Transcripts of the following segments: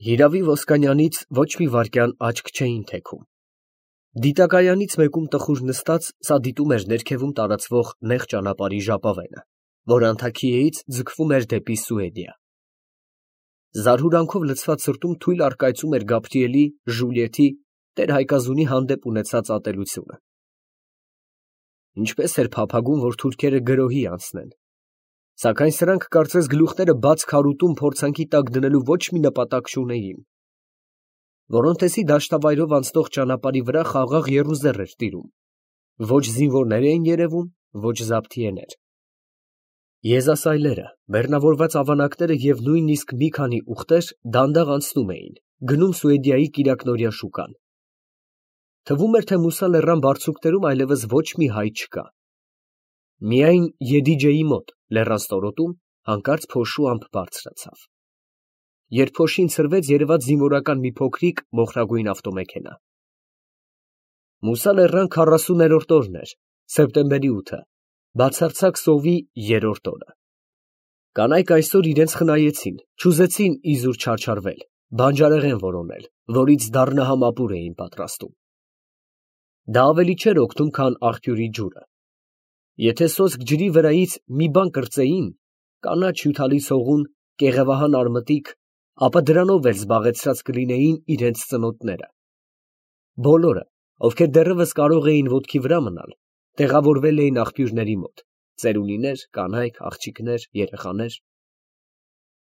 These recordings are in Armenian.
Հիրավի Ոսկանյանից ոչ մի վայրկյան աչք չէին թեքում։ Դիտակայանից մեկում տխուր նստած, սա դիտում էր ներքևում տարածվող նեղ ճանապարհի ժապավենը, որ Անթաքիեից ձգվում էր դեպի Սուեդիա։ Զարհուրանքով լցված սրտում թույլ առկայծում էր Գաբրիելի, Ժուլիետի, տեր-Հայկազունի հանդեպ ունեցած ատելությունը։ Ինչպես էր փափագում, որ թուրքերը գրոհի անցնեն, սակայն սրանք կարծես գլուխները բաց քարուտում փորձանքի տակ դնելու ոչ մի նպատակ չունեին։ Որոնտեսի դաշտավայրով անցնող ճանապարհի վրա խաղաղ եռուզեռ էր տիրում, ոչ զինվորներ էին երևում, ոչ զավթիեներ։ Եզասայլերը, բեռնավորված ավանակները և նույնիսկ մի քանի ուղտեր դանդաղ անցնում էին, գնում Սուեդիայի կիրակնօրյա շուկան։ Թվում էր, թե Մուսա լեռան բարձունքներում այլևս ոչ մի հայ չկա։ Միայն Եդիջեի մոտ, լեռան ստորոտում, հանկարծ փոշու ամպ բարձրացավ։ Երբ փոշին ցրվեց, երևաց զինվորական մի փոքրիկ մոխրագույն ավտոմեքենա։ Մուսա լեռան 40-րդ օրն էր, սեպտեմբերի 8-ը, բացարձակ սովի 3-րդ օրը։ Կանայք այսօր իրենց խնայեցին, չուզեցին իզուր չարչարվել, բանջարեղեն որոնել, որից դառնահամ ապուր էին պատրաստում։ Դա ավելի չէր օգնում, քան աղբյուրի ջուրը։ Եթե սոսկ ջրի վրայից մի բան կրծեին, կանաչ հյութալի ցողուն, կեղևահան արմտիկ, ապա դրանով էլ զբաղեցրած կլինեին իրենց ծնոտները։ Բոլորը, ովքեր դեռևս կարող էին ոտքի վրա մնալ, տեղավորվել էին աղբյուրների մոտ, ծերունիներ, կանայք, աղջիկներ, երեխաներ։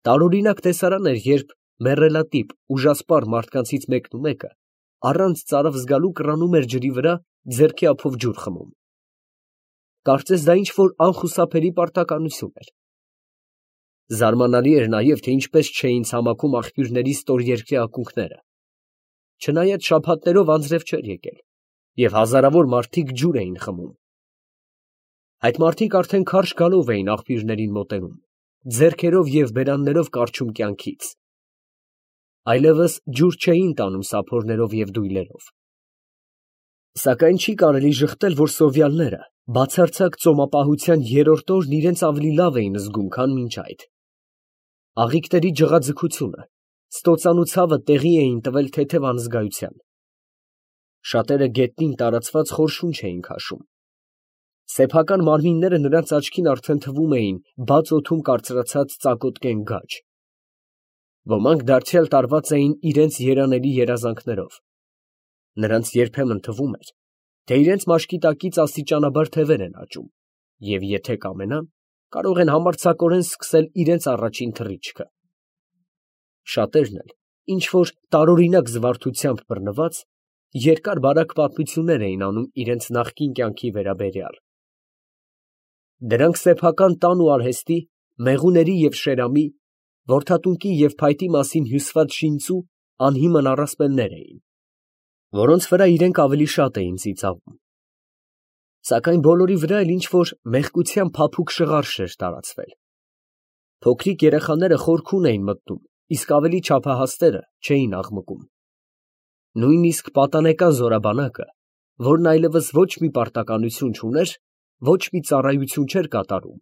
Տարօրինակ տեսարան էր, երբ մեռելատիպ, ուժասպառ մարդկանցից մեկը առանց ծարավ զգալու կռանում էր ջրի վրա, ձեռքի ափով ջուր խմում։ Կարծես դա ինչ-որ անխուսափելի պարտականություն էր։ Զարմանալի էր նաև, թե ինչպես չէին ցամաքում աղբյուրների ստորերկրյա ակունքները։ Չնայած շաբաթներով անձրև չէր եկել, և հազարավոր մարդիկ ջուր էին խմում։ Այդ մարդիկ արդեն քարշ գալով էին աղբյուրներին մոտենում, ձեռքերով և բերաններով կառչում կյանքից։ Այլևս ջուր չէին տանում սափորներով և դույլերով։ Սակայն չի կարելի ժխտել, որ սովյալները բացարձակ ծոմապահության 3-րդ օրն իրենց ավելի լավ էին զգում, քան մինչ այդ։ Աղիքների ջղաձգությունը, ստոծան ու ցավը տեղի էին տվել թեթև անզգայության։ Շատերը գետնին տարածված խոր շունչ էին քաշում։ Սեփական մարմինները նրանց աչքին արդեն թվում էին բաց օդում կարծրացած ծակոտկեն գաջ։ Ոմանք դարձյալ տարված էին իրենց երանելի երազանքներով։ Նրանց երբեմն թվում էր, թե իրենց մաշկի տակից աստիճանաբար թևեր են աճում, և եթե կամենան, կարող են համարձակորեն սկսել իրենց առաջին թռիչքը։ Շատերն էլ, ինչ-որ տարօրինակ զվարթությամբ բռնված, երկար֊բարակ պատմություններ էին անում իրենց նախկին կյանքի վերաբերյալ։ Դրանք սեփական տան ու արհեստի, մեղուների և շերամի, որդատունկի և փայտի մասին հյուսված շինծու անհիմն առասպելներ էին, որոնց վրա իրենք ավելի շատ էին ծիծաղում։ Սակայն բոլորի վրա էլ ինչ-որ մեղկության փափուկ շղարշ էր տարածվել։ Փոքրիկ երեխաները խորքուն էին մտնում, իսկ ավելի չափահասները չէին աղմկում։ Նույնիսկ պատանեկան զորաբանակը, որն այլևս ոչ մի պարտականություն չուներ, ոչ մի ծառայություն չէր կատարում,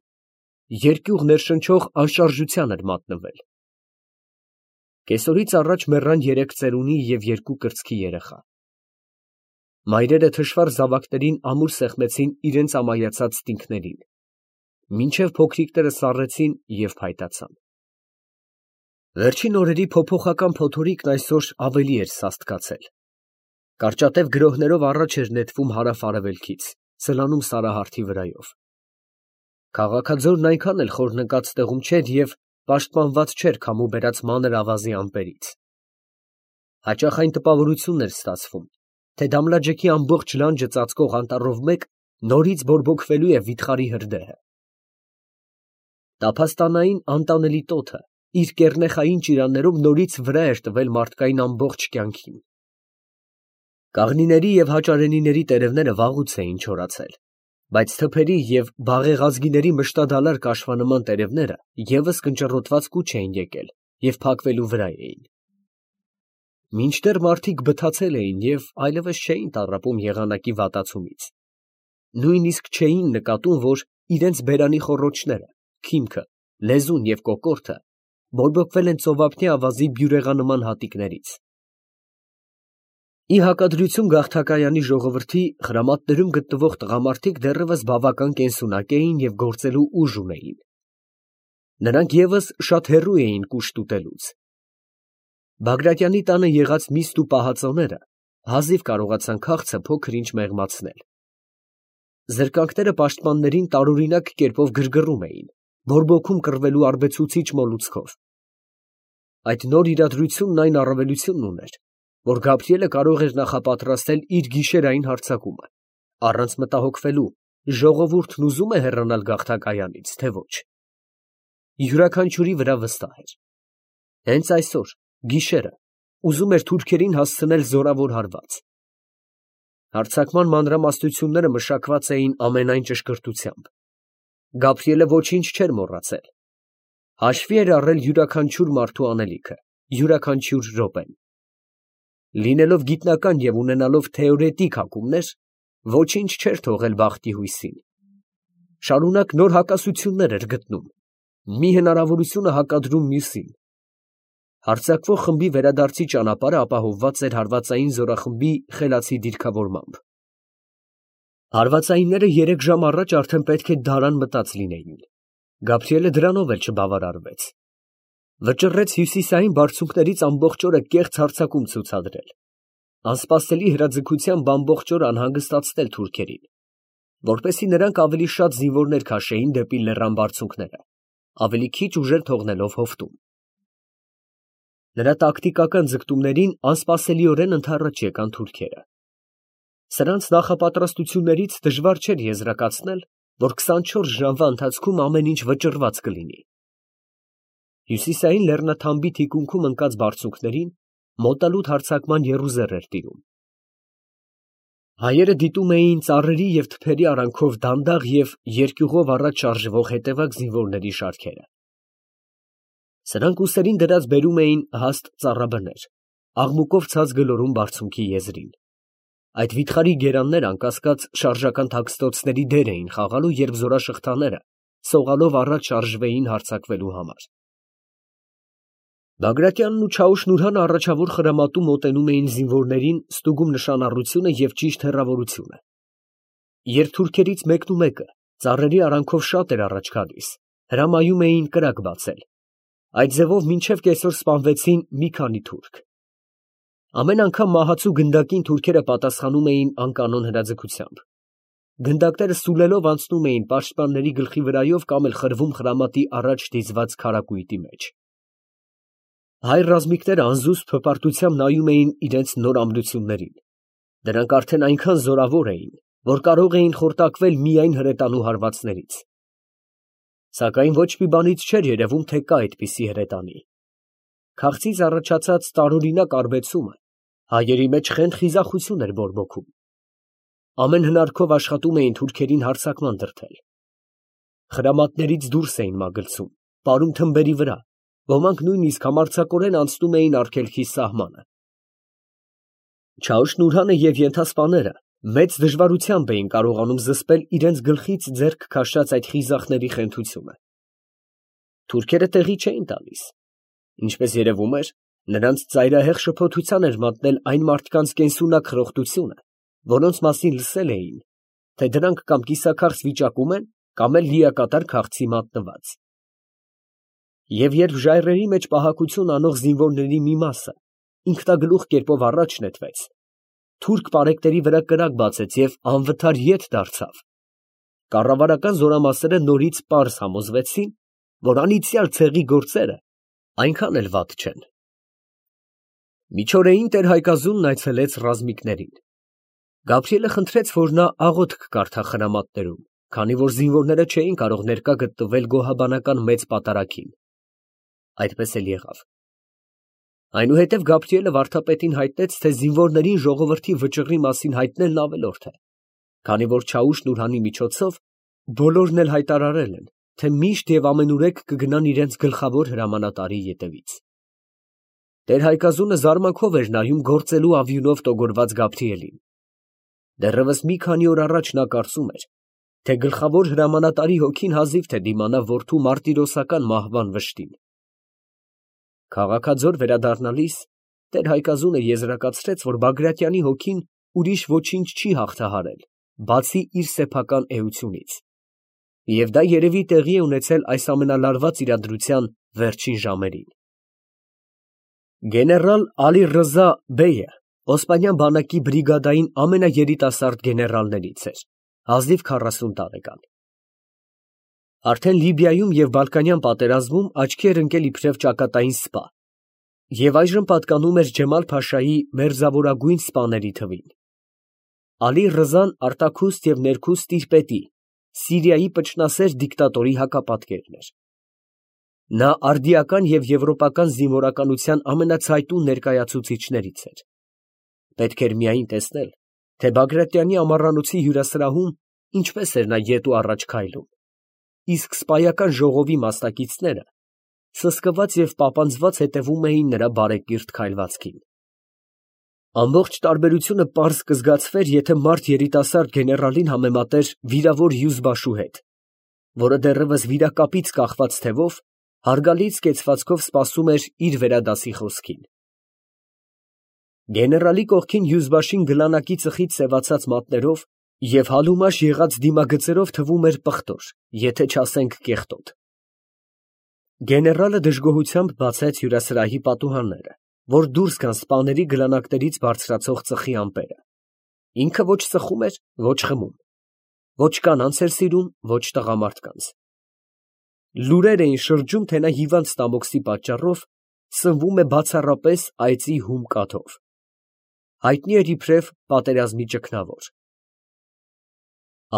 երկյուղ ներշնչող անշարժության էր մատնվել։ Կեսօրից առաջ մեռան 3 ծերունի և 2 կրծքի երեխա։ Մայրերը թշվառ զավակներին ամուր սեղմեցին իրենց ամայացած տինքներին, մինչև փոքրիկները սառեցին և փայտացան։ Վերջին օրերի փոփոխական փոթորիկն այսօր ավելի էր սաստկացել։ Կարճատև գրոհներով առաջ էր նետվում հարավ֊արևելքից, սլանում Սարահարթի վրայով։ Քաղաքաձորն այնքան էլ խոր նկած տեղում չէր և պաշտպանված չէր քամու բերած մանր ավազի ամպերից։ Հաճախ այն տպավորությունն էր ստացվում, թե Դամլաջեքի ամբողջ լանջը ծածկող անտառով մեկ նորից բորբոքվելու է վիթխարի հրդեհը։ Տափաստանային անտանելի տոթը իր կեռնեխային ճիրաններով նորից վրա էր տվել մարդկային ամբողջ կյանքին։ Կաղնիների և հաճարենիների տերևները վաղուց էին չորացել, բայց թփերի և բաղեղազգիների մշտադալար կաշվանման տերևները ևս կնճռոտված կուչ էին եկել և փակվելու վրա էին։ Մինչդեռ մարդիկ բթացել էին և այլևս չէին տառապում եղանակի վատացումից։ Նույնիսկ չէին նկատում, որ իրենց բերանի խոռոչները, քիմքը, լեզուն և կոկորդը բորբոքվել են ծովափնյա ավազի բյուրեղանման հատիկներից։ Ի հակադրություն գաղթակայանի ժողովրդի խրամատներում գտնվող տղամարդիկ դեռևս բավական կենսունակ էին և գործելու ուժ ունեին։ Նրանք ևս շատ հեռու էին կուշտ ուտելուց։ Բագրատյանի տանը եղած միստ ու պահածոները հազիվ կարողացան քաղցը փոքր-ինչ մեղմացնել։ Զրկանքները պաշտպաններին տարօրինակ կերպով գրգռում էին, բորբոքում կռվելու արբեցուցիչ մոլուցքով։ Այդ նոր իրադրությունն այն առավելությունն ուներ, որ Գաբրիելը կարող էր նախապատրաստել իր գիշերային հարձակումը, առանց մտահոգվելու ժողովուրդն ուզում է հեռանալ գաղթակայանից, թե ոչ։ Յուրաքանչյուրի վրա վստահ էր։ Հենց այսօր, գիշերը, ուզում էր թուրքերին հասցնել զորավոր հարված։ Հարձակման մանրամասնությունները մշակված էին ամենայն ճշգրտությամբ։ Գաբրիելը ոչինչ չէր մոռացել։ Հաշվի էր առել յուրաքանչյուր մարդու անելիքը, յուրաքանչյուր րոպեն։ Լինելով գիտնական և ունենալով թեորետիկ հակումներ, ոչինչ չէր թողել բախտի հույսին։ Շարունակ նոր հակասություններ էր գտնում, մի հնարավորությունը հակադրում մյուսին։ Հարձակվող խմբի վերադարձի ճանապարհը ապահովված էր հարվածային զորախմբի խելացի դիրքավորմամբ։ Հարվածայինները 3 ժամ առաջ արդեն պետք է դարան մտած լինեին։ Գաբրիելը դրանով էլ չբավարարվեց։ Վճռեց հյուսիսային բարձունքներից ամբողջ օրը կեղծ հարձակում ցուցադրել, անսպասելի հրաձգությամբ ամբողջ օր անհանգստացնել թուրքերին, որպեսզի նրանք ավելի շատ զինվորներ քաշեին դեպի լեռան բարձունքները, ավելի քիչ ուժեր թողնելով հովտում։ Նրա տակտիկական ձգտումներին անսպասելիորեն ընդառաջ եկան թուրքերը։ Սրանց նախապատրաստություններից դժվար չէր եզրակացնել, որ 24 ժամվա ընթացքում ամեն ինչ վճռված կլինի։ Հյուսիսային լեռնաթամբի թիկունքում ընկած բարձունքներին մոտալուտ հարձակման եռուզեռ էր տիրում։ Հայերը դիտում էին ծառերի և թփերի արանքով դանդաղ և երկյուղով առաջ շարժվող հետևակ զինվորների շարքերը։ Սրանք ուսերին դրած բերում էին հաստ ծառաբներ, աղմուկով ցած գլորում բարձունքի եզրին։ Այդ վիթխարի գերանները անկասկած շարժական թաքստոցների դեր էին խաղալու, երբ զորաշղթաները սողալով առաջ շարժվեին հարձակվելու համար։ Բագրատյանն ու Չաուշ֊Նուրհանը առաջավոր խրամատում մոտենում էին զինվորներին, ստուգում նշանառությունը և ճիշտ հեռավորությունը։ Երբ թուրքերից մեկը ծառերի արանքով շատ էր առաջ գալիս, հրամայում էին կրակ բացել։ Այդ ձևով մինչև կեսօր սպանվեցին մի քանի թուրք։ Ամեն անգամ մահացու գնդակին թուրքերը պատասխանում էին անկանոն հրաձգությամբ։ Գնդակները սուլելով անցնում էին պաշտպանների գլխի վրայով կամ էլ խրվում խրամատի առաջ դիզված քարակույտի մեջ։ Հայ ռազմիկները անզուսպ հպարտությամբ նայում էին իրենց նոր ամրություններին։ Դրանք արդեն այնքան զորավոր էին, որ կարող էին խորտակվել միայն հրետանու հարվածներից։ Սակայն ոչ մի բանից չէր երևում, թե կա այդպիսի հրետանի։ Քաղցից առաջացած տարօրինակ արբեցումը հայերի մեջ խենթ խիզախություն էր բորբոքում։ Ամեն հնարքով աշխատում էին թուրքերին հարձակման դրդել։ Խրամատներից դուրս էին մագլցում, պարում թմբերի վրա, ոմանք նույնիսկ համարձակորեն անցնում էին արգելքի սահմանը։ Չաուշ֊Նուրհանը և ենթասպաները մեծ դժվարությամբ էին կարողանում զսպել իրենց գլխից ձեռք քաշած այդ խիզախների խենթությունը։ Թուրքերը տեղի չէին տալիս։ Ինչպես երևում էր, նրանց ծայրահեղ շփոթության էր մատնել այն մարդկանց կենսունակ խրոխտությունը, որոնց մասին լսել էին, թե դրանք կամ կիսաքաղց վիճակում են, կամ էլ լիակատար քաղցի մատնված։ Եվ երբ ժայռերի մեջ պահակություն անող զինվորների մի մասը ինքնագլուխ կերպով առաջ նետվեց, թուրք պարեկտերի վրա կրակ բացեց և անվթար ետ դարձավ, կառավարական զորամասերը նորից պարզ համոզվեցին, որ անիծյալ ցեղի գործերը այնքան էլ վատ չեն։ Միջօրեին տեր-Հայկազունն այցելեց ռազմիկներին։ Գաբրիելը խնդրեց, որ նա աղոթք կարդա խրամատներում, քանի որ զինվորները չէին կարող ներկա գտնվել գոհաբանական մեծ պատարագին։ Այդպես էլ եղավ։ Այնուհետև Գաբրիելը վարդապետին հայտնեց, թե զինվորներին ժողովրդի վճռի մասին հայտնելն ավելորդ է, քանի որ Չաուշ֊Նուրհանի միջոցով բոլորն էլ հայտարարել են, թե միշտ և ամենուրեք կգնան իրենց գլխավոր հրամանատարի ետևից։ Տեր֊Հայկազունը զարմանքով էր նայում գործելու ավյունով տոգորված Գաբրիելին։ Դեռևս մի քանի օր առաջ նա կարծում էր, թե գլխավոր հրամանատարի հոգին հազիվ թե դիմանա որդու մարտիրոսական մահվան վշտին։ Քաղաքաձոր վերադառնալիս տեր Հայկազունը եզրակացրեց, որ Բագրատյանի հոգին ուրիշ ոչինչ չի հաղթահարել, բացի իր սեփական էությունից, և դա երևի տեղի է ունեցել այս ամենալարված իրադրության վերջին ժամերին։ Գեներալ Ալի Ռզա բեյը Օսմանյան բանակի բրիգադային ամենաերիտասարդ գեներալներից էր, ազնիվ 40 տարեկան։ Արդեն Լիբիայում և Բալկանյան պատերազմում աչքի էր ընկել իբրև ճակատային սպա և այժմ պատկանում էր Ջեմալ֊Փաշայի մերձավորագույն սպաների թվին։ Ալի Ռզան արտաքուստ և ներքուստ իր պետի, Սիրիայի պճնասեր դիկտատորի հակապատկերն էր։ Նա արդիական և եվրոպական զինվորականության ամենացայտուն ներկայացուցիչներից էր։ Պետք էր միայն տեսնել, թե Բագրատյանի ամառանոցի հյուրասրահում ինչպես էր նա ետ ու առաջ քայլում, իսկ սպայական ժողովի մասնակիցները սսկված և պապանձված հետևում էին նրա բարեկիրթ քայլվածքին։ Ամբողջ տարբերությունը պարզ կզգացվեր, եթե մարդ երիտասարդ գեներալին համեմատեր վիրավոր հյուզբաշու հետ, որը դեռևս վիրակապից կախված թևով հարգալից կեցվածքով սպասում էր իր վերադասի խոսքին։ Գեներալի կողքին հյուզբաշին գլանակի ծխից սևացած մատներով և հալումաշ եղած դիմագծերով թվում էր պղտոր, եթե չասենք կեղտոտ։ Գեներալը դժգոհությամբ բացեց հյուրասրահի պատուհանները, որ դուրս գան սպաների գլանակներից բարձրացող ծխի ամպերը։ Ինքը ոչ ծխում էր, ոչ խմում, ոչ կանանց էր սիրում, ոչ տղամարդկանց։ Լուրեր էին շրջում, թե նա հիվանդ ստամոքսի պատճառով սնվում է բացառապես այծի հում կաթով։ Հայտնի էր իբրև պատերազմի ճգնավոր։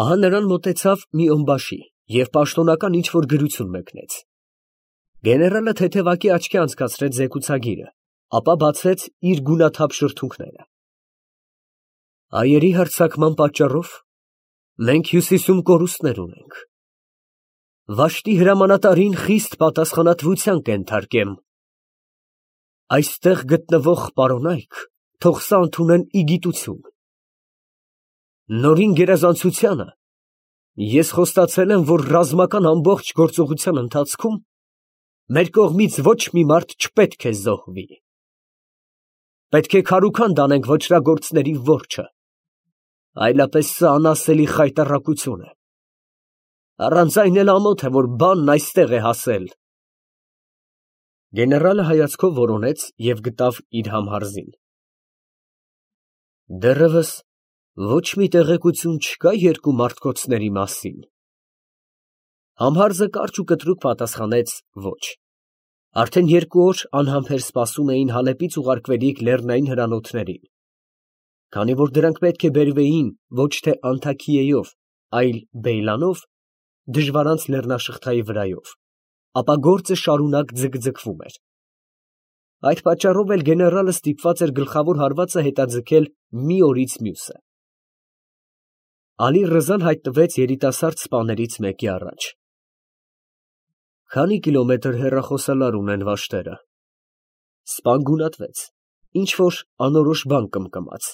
Ահա նրան մոտեցավ մի ըմբաշի և պաշտոնական ինչ֊որ գրություն մեկնեց։ Գեներալը թեթևակի աչքի անցկացրեց զեկուցագիրը, ապա բացեց իր գունաթափ շրթունքները։ Հայերի հարձակման պատճառով մենք հյուսիսում կորուստներ ունենք։ Վաշտի հրամանատարին խիստ պատասխանատվության կենթարկեմ։ Այստեղ գտնվող պարոնայք թող սա ընդունեն ի գիտություն։ Նորին գերազանցությանը ես խոստացել եմ, որ ռազմական ամբողջ գործողության ընթացքում մեր կողմից ոչ մի մարդ չպետք է զոհվի։ Պետք է քարուքանդ անենք ոճրագործների որջը, այլապես սա անասելի խայտառակություն է։ Առանց այն էլ ամոթ է, որ բանն այստեղ է հասել։ Գեներալը հայացքով որոնեց և գտավ իր համհարզին։ Դեռևս ոչ մի տեղեկություն չկա երկու մարդկոցների մասին։ Համհարզը կարճ ու կտրուկ պատասխանեց ոչ։ Արդեն 2 օր անհամբեր սպասում էին Հալեպից ուղարկվելիք լեռնային հրանոթներին, քանի որ դրանք պետք է բերվեին ոչ թե Անթաքիեով, այլ Բեյլանով, դժվարանց լեռնաշղթայի վրայով, ապա գործը շարունակ ձգձգվում էր։ Այդ պատճառով էլ գեներալը ստիպված էր գլխավոր հարվածը հետաձգել մի օրից մյուսը։ Ալի Ռզան հայտնվեց երիտասարդ սպաներից մեկի առաջ։ Քանի կիլոմետր հեռախոսալար ունեն վաշտերը։ Սպան գունատվեց, ինչ-որ անորոշ բան կմկմաց։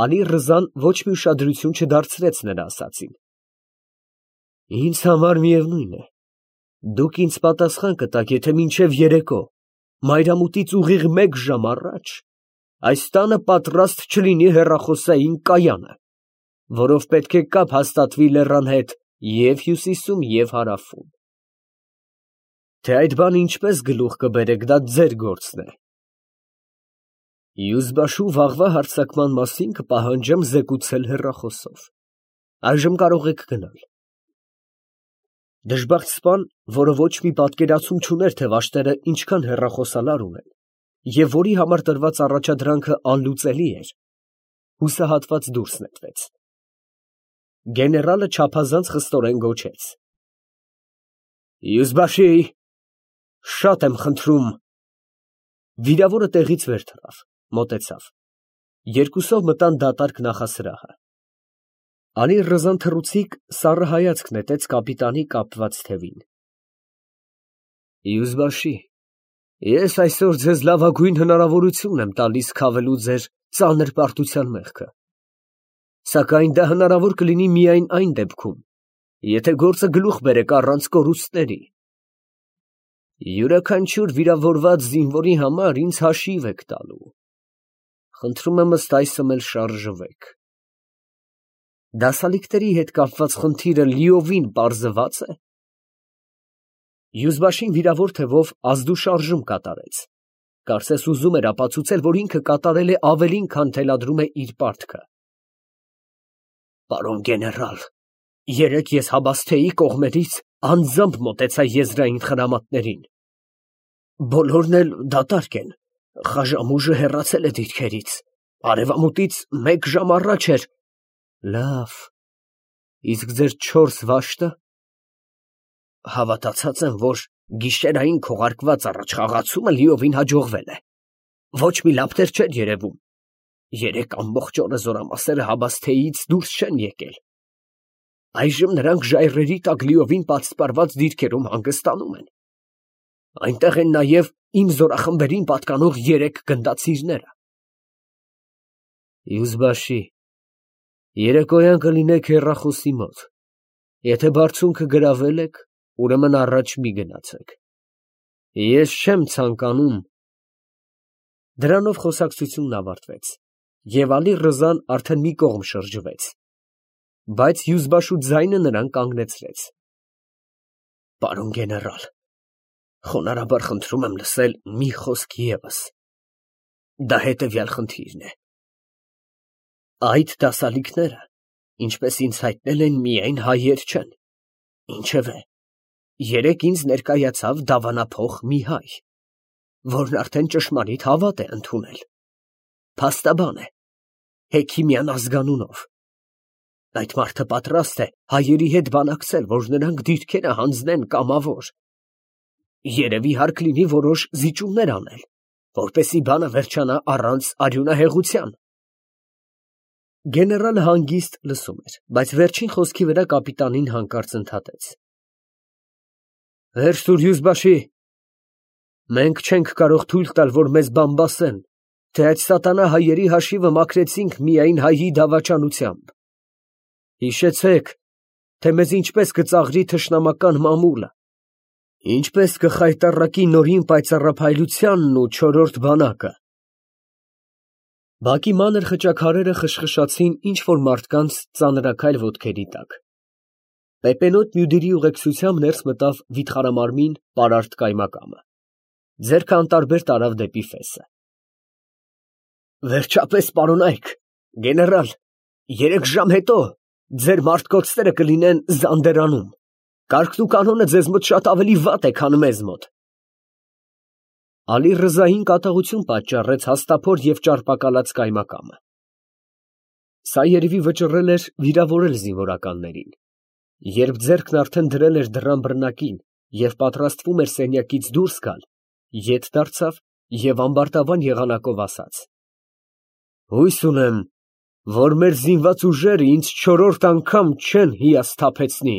Ալի Ռզան ոչ մի ուշադրություն չդարձրեց նրա ասածին։ Ինձ համար միևնույն է, դուք ինձ պատասխան կտաք, եթե մինչև երեկո, մայրամուտից ուղիղ 1 ժամ առաջ, այս տանը պատրաստ չլինի հեռախոսային կայանը, որով պետք է կապ հաստատվի լեռան հետ և հյուսիսում, և հարավում։ Թե այդ բանը ինչպես գլուխ կբերեք, դա ձեր գործն է։ Հյուզբաշու վաղվա հարձակման մասին կպահանջեմ զեկուցել հեռախոսով։ Այժմ կարող եք գնալ։ Դժբախտ սպան, որը ոչ մի պատկերացում չուներ, թե վաշտերը ինչքան հեռախոսալար ունեն, և որի համար տրված առաջադրանքը անլուծելի էր, հուսահատված դուրս նետվեց։ Գեներալը չափազանց խստորեն գոչեց. Հյուզբաշի, շատ եմ խնդրում։ Վիրավորը տեղից վեր թռավ, մոտեցավ։ Երկուսով մտան դատարկ նախասրահը։ Ալի Ռզան թռուցիկ սառը հայացք նետեց կապիտանի կապված թևին։ Հյուզբաշի, ես այսօր ձեզ լավագույն հնարավորություն եմ տալիս քավելու ձեր ծանր պարտության մեղքը, սակայն դա հնարավոր կլինի միայն այն դեպքում, եթե գործը գլուխ բերեք առանց կորուստների։ Յուրաքանչյուր վիրավորված զինվորի համար ինձ հաշիվ եք տալու։ Խնդրում եմ ըստ այսմ էլ շարժվեք։ Դասալիկների հետ կապված խնդիրը լիովին պարզված է։ Յուզբաշին վիրավոր թևով ազդուշարժում կատարեց։ Կարծես ուզում էր ապացուցել, որ ինքը կատարել է ավելին, քան թելադրում է իր պարտքը։ Պարոն գեներալ, երեկ ես Հաբասթեի կողմերից անձամբ մոտեցա եզրային խրամատներին։ Բոլորն էլ դատարկ են, Խաժամուժը հեռացել է դիրքերից, արևամուտից 1 ժամ առաջ էր։ Լավ, իսկ ձեր 4 վաշտը։ Հավատացած եմ, որ գիշերային քողարկված առաջխաղացումը լիովին հաջողվել է։ Ոչ մի լապտեր չեն երևում։ Երեկ ամբողջ օրը զորամասերը Հաբասթեից դուրս չեն եկել։ Այժմ նրանք ժայռերի տակ լիովին պատսպարված դիրքերում հանգստանում են։ Այնտեղ են նաև իմ զորախմբերին պատկանող 3 գնդացիրները։ Յուզբաշի, երեկոյան կլինեք հեռախոսի մոտ։ Եթե բարձունքը գրավել եք, ուրեմն առաջ մի գնացեք։ Ես չեմ ցանկանում։ Դրանով խոսակցությունն ավարտվեց, և Ալի Ռզան արդեն մի կողմ շրջվեց, բայց Յուզբաշու ձայնը նրան կանգնեցրեց։ Պարոն գեներալ, խոնարհաբար խնդրում եմ լսել մի խոսք ևս։ Դա հետևյալ խնդիրն է։ Այդ դասալիկները, ինչպես ինձ հայտնել են, միայն հայեր չեն։ Ինչևէ, երեկ ինձ ներկայացավ դավանափոխ մի հայ, որն արդեն ճշմարիտ հավատ է ընդունել։ Փաստաբան է, Հեքիմյան ազգանունով։ Այդ մարդը պատրաստ է հայերի հետ բանակցել, որ նրանք դիրքերը հանձնեն կամավոր։ Երևի հարկ լինի որոշ զիջումներ անել, որպեսզի բանը վերջանա առանց արյունահեղության։ Գեներալը հանգիստ լսում էր, բայց վերջին խոսքի վրա կապիտանին հանկարծ ընդհատեց. Վերջ տուր, Յուզբաշի, մենք չենք կարող թույլ տալ, որ մեզ բամբասեն, թե այդ սատանա հայերի հաշիվը մաքրեցինք միայն հայի դավաճանությամբ։ Հիշեցեք, թե մեզ ինչպես կծաղրի թշնամական մամուլը, ինչպես կխայտառակի նորին պայծառափայլությանն ու չորրորդ բանակը։ Բակի մանր խճաքարերը խշխշացին ինչ-որ մարդկանց ծանրաքայլ ոտքերի տակ։ Պեպենոտ Մյուդիրի ուղեկցությամբ ներս մտավ վիթխարամարմին պարարտ կայմակամը։ Ձեռքը անտարբեր տարավ դեպի ֆեսը։ Վերջապես, պարոնայք, գեներալ, 3 ժամ հետո ձեր մարտնոցները կլինեն Զանդերանում։ Կարգն ու կանոնը ձեզ մոտ շատ ավելի վատ է, քան մեզ մոտ։ Ալի Ռզային կատաղություն պատճառեց հաստափոր և ճարպակալած կայմակամը։ Սա երևի վճռել էր վիրավորել զինվորականներին։ Երբ ձեռքն արդեն դրել էր դռան բռնակին և պատրաստվում էր սենյակից դուրս գալ, ետ դարձավ և ամբարտավան եղանակով ասաց. Հույս ունեմ, որ մեր զինված ուժերը ինձ 4-րդ անգամ չեն հիասթափեցնի։